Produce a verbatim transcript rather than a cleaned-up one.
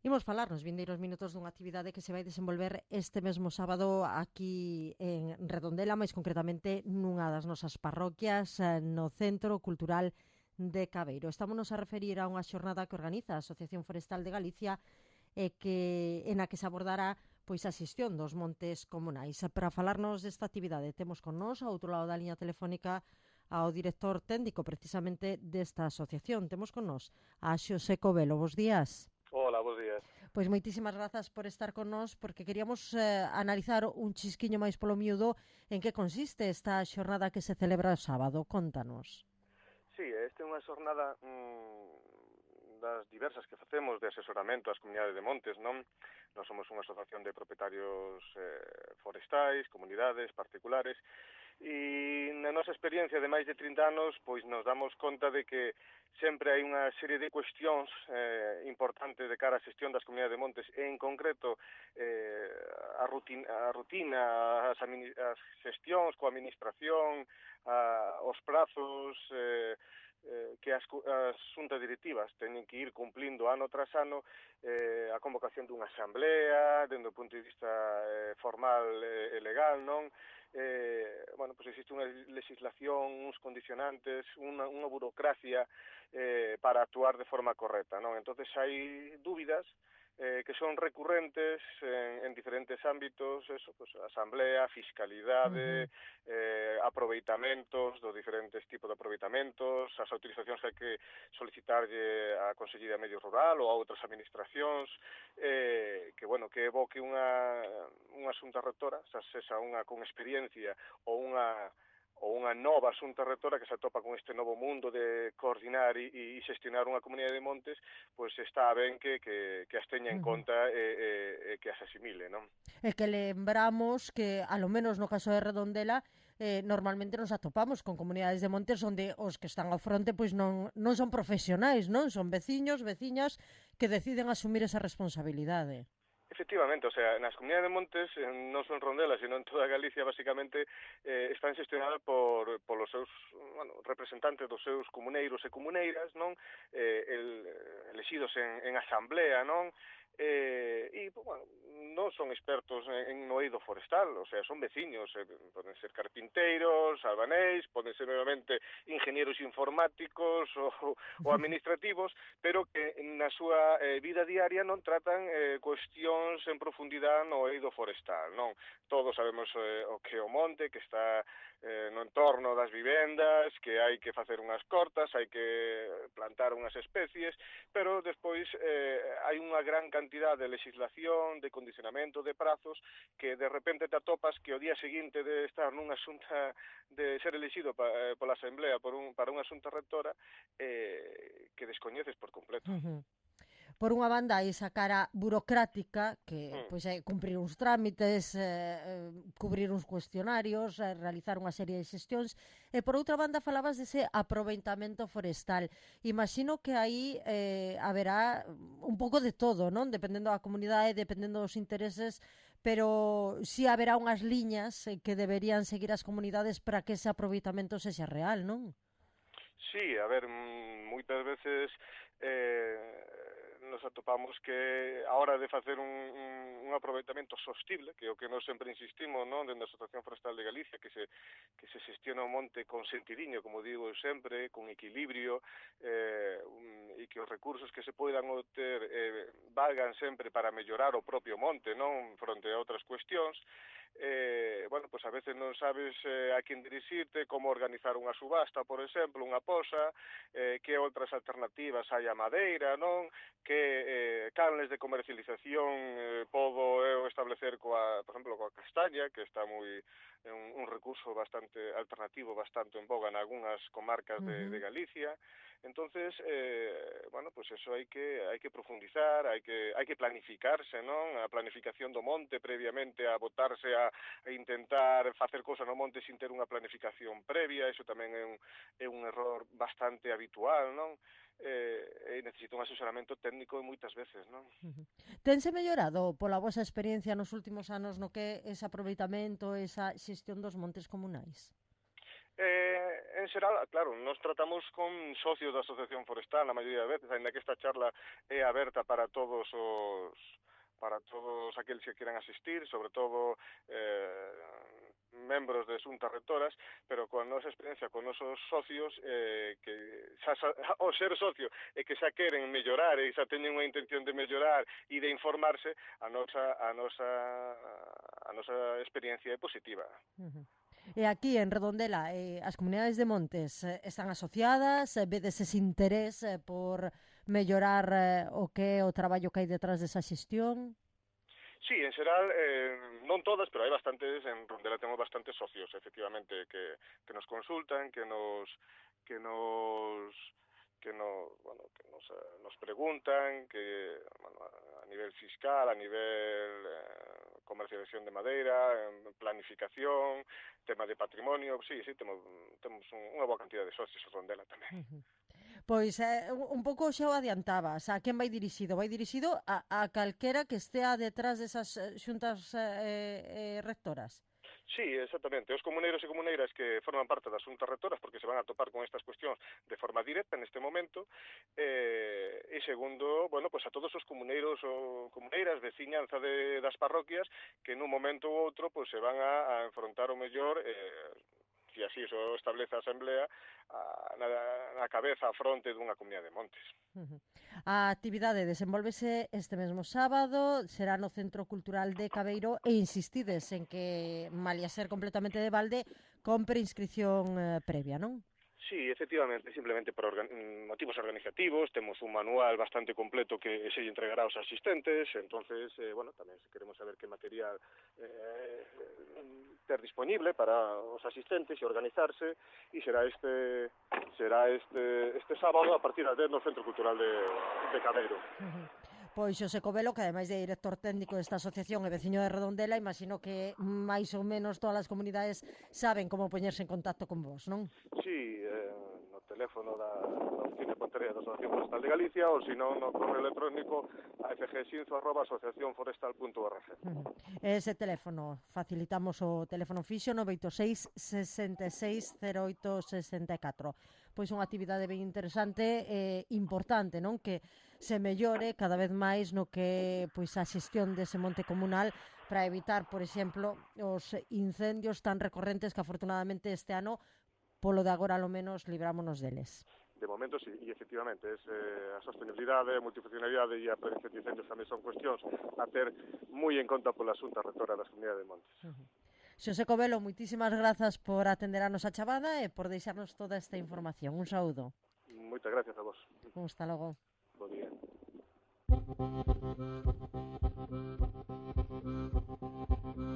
Imos falar nos vindeiros minutos dunha actividade que se vai desenvolver este mesmo sábado aquí en Redondela, máis concretamente nunha das nosas parroquias, eh, no Centro Cultural de Cabeiro. Estámonos a referir a unha xornada que organiza a Asociación Forestal de Galicia e que en a que se abordará pois a xestión dos montes comunais. Para falarnos desta actividade temos con nós, ao outro lado da liña telefónica, ao director técnico precisamente desta asociación. Temos con nós a Xosé Covelo. Bos días. Hola, bos días. Pois moitísimas grazas por estar con nós, porque queríamos eh, analizar un chisquiño máis polo miúdo en que consiste esta xornada que se celebra o sábado. Contanos. Sí, esta é unha xornada mmm, das diversas que facemos de asesoramento ás comunidades de montes, non? Nós somos unha asociación de propietarios eh, forestais, comunidades particulares, e na nosa experiencia de máis de trinta anos, pois nos damos conta de que sempre hai unha serie de cuestións eh, importantes de cara á xestión das comunidades de montes, e en concreto eh, a, rutina, a rutina, as, as xestións coa administración, a, os prazos, eh, eh, que as, as xuntas directivas teñen que ir cumplindo ano tras ano, eh, a convocación dunha asamblea, dende o punto de vista eh, formal e eh, legal, non? Eh, bueno, pues existe unha legislación, uns condicionantes, unha, unha burocracia eh, para actuar de forma correcta, non? Entonces hai dúbidas eh, que son recurrentes en, en diferentes ámbitos, eso, pues, asamblea, fiscalidade, uh -huh. eh, aproveitamentos, dos diferentes tipos de aproveitamentos, as autorizacións que hai que solicitarlle á Consellería de Medio Rural ou a outras administracións, eh, que, bueno, que evoque unha, unha xunta rectora, xa sexa unha con experiencia ou unha ou unha nova xunta rectora que se atopa con este novo mundo de coordinar e, e xestionar unha comunidade de montes, pois está ben que, que, que as teña en conta e, e, e que as asimile, non? E que lembramos que, a lo menos no caso de Redondela, eh, normalmente nos atopamos con comunidades de montes onde os que están ao fronte pois non, non son profesionais, non? Son veciños, veciñas que deciden asumir esa responsabilidade. Efectivamente, o sea, nas comunidades de montes, non son Rondela, sino en toda Galicia, basicamente, eh, están xestionadas por, por os seus, bueno, representantes dos seus comuneiros e comuneiras, non? Eh, el, elexidos en, en asamblea, non? Eh, e, bueno, non son expertos en, en no eido forestal, o sea, son veciños, eh, poden ser carpinteiros, albanéis, poden ser, obviamente, ingenieros informáticos ou, ou administrativos, pero que na súa eh, vida diaria non tratan eh, cuestións en profundidade no eido forestal, non? Todos sabemos eh, o que é o monte, que está eh, no entorno das vivendas, que hai que facer unhas cortas, hai que plantar unhas especies, pero despois eh, hai unha gran cantidad de legislación, de condicionamento, de prazos, que de repente te atopas que o día seguinte de estar nunha xunta, de ser elegido pa, eh, pola Asamblea por un, para unha xunta rectora, eh, que descoñeces por completo. Uh -huh. Por unha banda, hai esa cara burocrática, que Mm. pois, é cumprir uns trámites, eh, cubrir uns cuestionarios, eh, realizar unha serie de xestións, e por outra banda falabas dese aproveitamento forestal. Imagino que aí eh, haberá un pouco de todo, non? Dependendo da comunidade, dependendo dos intereses, pero si haberá unhas liñas que deberían seguir as comunidades para que ese aproveitamento sexa real, non? Sí, a ver, moitas veces eh, nos atopamos que a hora de facer un, un, un aproveitamento sostible, que é o que nós sempre insistimos, non, dentro da Asociación Forestal de Galicia, que se que se xestiona o monte con sentidiño, como digo eu sempre, con equilibrio, eh, um, e que os recursos que se poidan obter eh, valgan sempre para mellorar o propio monte, non, fronte a outras cuestións. Eh, bueno, pues a veces non sabes eh, a quen dirixirte, como organizar unha subasta, por exemplo, unha posa, eh, que outras alternativas hai a madeira, non? Que eh, canles de comercialización eh, podo eu establecer coa, por exemplo, coa castaña, que está moi un, un recurso bastante alternativo, bastante en boga en algunhas comarcas de, uh -huh. de Galicia. Entonces, eh, bueno, pues eso hai que hai que profundizar, hai que hai que planificarse, non? A planificación do monte previamente a botarse a, a intentar facer cousa no monte sin ter unha planificación previa, eso tamén é un, é un error bastante habitual, non? Eh, e necesita un asesoramento técnico moitas veces, non? Uh-huh. Tense mellorado pola vosa experiencia nos últimos anos no que ese aproveitamento, esa xestión dos montes comunais? Eh, en xeral, claro, nos tratamos con socios da Asociación Forestal na maioría das veces, ainda que esta charla é aberta para todos os para todos aqueles que quieran asistir, sobre todo eh, membros de xuntas rectoras, pero coa nosa experiencia, con nosos socios, eh, que xa, xa, o ser socio e que xa queren mellorar e xa teñen unha intención de mellorar e de informarse, a nosa, a nosa, a nosa experiencia é positiva. Uh-huh. E aquí en Redondela, eh, as comunidades de montes eh, están asociadas, eh, vedes ese interés eh, por mellorar eh, o que é o traballo que hai detrás desa xestión? Sí, en xeral, eh, non todas, pero hai bastantes, en Redondela temos bastantes socios, efectivamente, que, que nos consultan, que nos que nos que nos, bueno, que nos, nos preguntan, que bueno, a nivel fiscal, a nivel eh, comercialización de madeira, planificación, tema de patrimonio, sí, sí, temos, temos unha boa cantidad de socios en Redondela tamén. Uh-huh. Pois eh, un pouco xa o adiantabas, a quen vai dirixido? Vai dirixido a, a calquera que estea detrás desas xuntas eh, eh, rectoras? Sí, exactamente. Os comuneiros e comuneiras que forman parte das xuntas rectoras, porque se van a topar con estas cuestións de forma directa neste momento, eh, e segundo, bueno, pues a todos os comuneiros ou comuneiras, veciñanza de, das parroquias, que nun momento ou outro pues, se van a, a enfrontar o mellor, eh, se así o establece a Asamblea, a, na, na cabeza, a fronte dunha comunidade de montes. Uh-huh. A actividade desenvolvese este mesmo sábado, será no Centro Cultural de Cabeiro e insistides en que, malia ser completamente de balde, compre inscripción eh, previa, non? Sí, efectivamente, simplemente por organ motivos organizativos, temos un manual bastante completo que se lle entregará aos asistentes, entonces, eh, bueno, tamén se queremos saber que material eh, ter disponible para os asistentes e organizarse, e será este será este este sábado a partir das dez no Centro Cultural de, de Cabeiro. Uh-huh. Pois Xosé Covelo, que ademais de director técnico desta asociación e veciño de Redondela, imagino que máis ou menos todas as comunidades saben como poñerse en contacto con vos, non? Sí, eh, no teléfono da, da Oficina de Pontería da Asociación Forestal de Galicia, ou se non no correo electrónico a f g sinzo arroba asociación forestal punto org. Uh-huh. Ese teléfono, facilitamos o teléfono fixo nove oito seis, sesenta e seis, cero oito sesenta e catro. Pois unha actividade ben interesante e importante, non? Que se mellore cada vez máis no que pois a xestión dese monte comunal para evitar, por exemplo, os incendios tan recorrentes que afortunadamente este ano, polo de agora, ao menos, librámonos deles. De momento, sí, e efectivamente, es, eh, a sostenibilidade, a multifuncionalidade e a prevención de incendios tamén son cuestións a ter moi en conta pola Xunta Rectora das Comunidades de Montes. Uh-huh. Xosé Covelo, moitísimas grazas por atender a nosa chamada e por deixarnos toda esta información. Un saúdo. Moitas gracias a vos. Hasta logo. Bo día.